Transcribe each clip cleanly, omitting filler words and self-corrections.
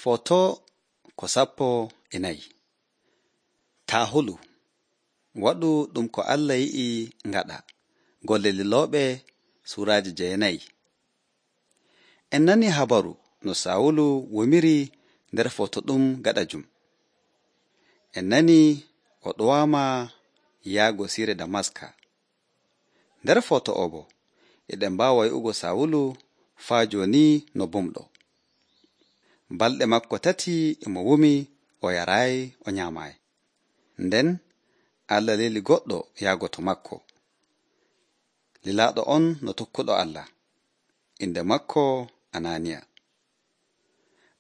Foto ko 14. Taa hulu waɗu ɗum ko Allah yi'i ngaɗa. Golle Lilooɓe suuraaji 9. En nani habaru no Sawulu womiri nder foto ɗum gaɗajum. En nani o ɗowaama yaago siire Damaska. Nder foto o bo eɗen mbaawa yi'ugo Sawulu faa jooni no bumɗo. Balɗe makko 3 mo wumi o yaraayi o nyaamaayi. Nden Allah lili goɗɗo yaago to makko. Lilaaɗo on no tokkuɗo Allah. Inde makko Ananiya.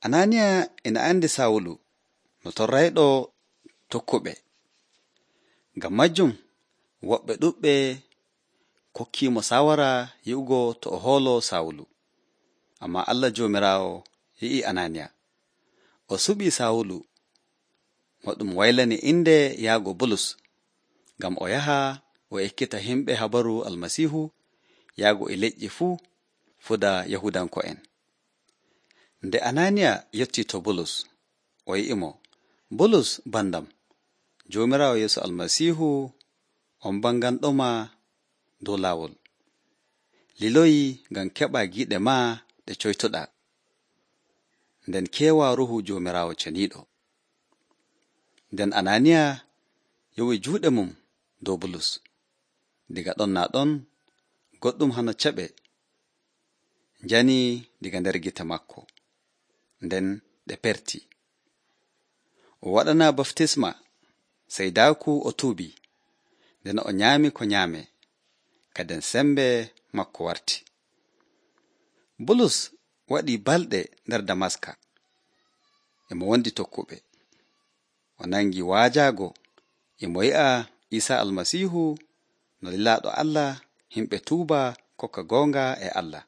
Ananiya ina andi Sawulu no torrayɗo tokkuɓe. Ngam majjum woɓɓe ɗuɓɓe kokkiimo sawara yi'ugo to o hoolo Sawulu. Ammaa Allah Joomiraawo yi'i Ananiya. O suɓii Sawulu mo ɗum waylani inde yaago Bulus, ngam o yaha o ekkita himɓe habaru Almasiihu yaago e leƴƴi fuu fuda Yahudanko'en. Nde Ananiya yottii to Bulus, o yi'imo, Bulus bandam, Joomiraawo Yeesu Almasiihu on banganɗoma dow laawol. Liloyi ngam keɓa giiɗe maa ɗe coytuɗaa. Nden keewa Ruuhu Joomiraawo ceniiɗo. Nden Ananiya yowi juuɗe mum dow Bulus. Diga ɗon naa ɗon goɗɗum hano ceɓe njani diga nder gite makko. Nden ɗe perti. O waɗana baftisma sey daaku o tuubi. Nden o nyaami ko nyaame. Kaden sembe makko warti. Bulus waɗi balɗe nder Damaska. Emo wondi tokkuɓe. O nangi waajaago emo yi'a Iisaa Almasiihu no lilaaɗo Allah, himɓe tuuba kokka goonga e Allah.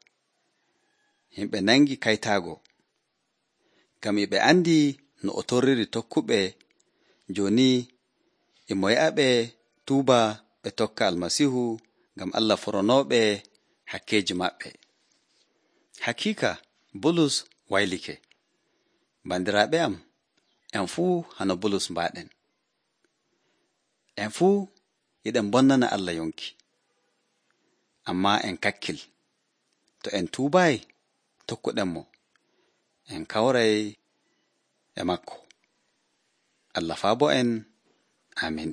Himɓe nangi kaytaago. Ngam e ɓe andi no o torriri tokkuɓe, jooni emo yi'aɓe tuuba ɓe tokka Almasiihu ngam Allah foronooɓe hakkeeji maɓɓe. Hakiika Bulus waylike. Bandiraaɓe am, en fuu hano Bulus mbaaɗen. En fuu yiɗen bonnana Allah yonki. Ammaa en kakkil. To en tuubaayi tokkuɗenmo, en kawray e makko. Allah faabo en. Amin.